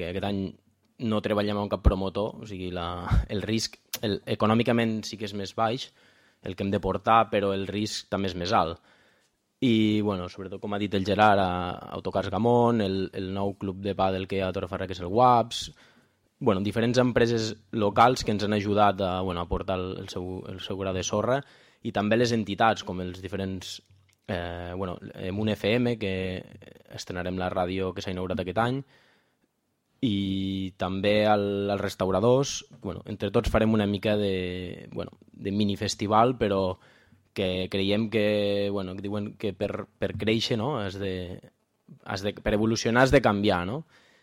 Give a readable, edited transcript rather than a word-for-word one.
perquè aquest any no treballem amb cap promotor, o sigui, el risc econòmicament sí que és més baix, el que hem de portar, però el risc també és més alt. I, bueno, sobretot, com ha dit el Gerard, Autocars Gamón, el nou club de pàdel que hi ha a Torrefarra, que és el WAPS, bueno, diferents empreses locals que ens han ajudat a portar el seu gra de sorra, i també les entitats, com els diferents... amb un FM, que estrenarem la ràdio que s'ha inaugurat aquest any, i també als restauradors. Entre tots farem una mica de minifestival, però que creiem que diuen que per créixer, no? Per evolucionar has de canviar, no?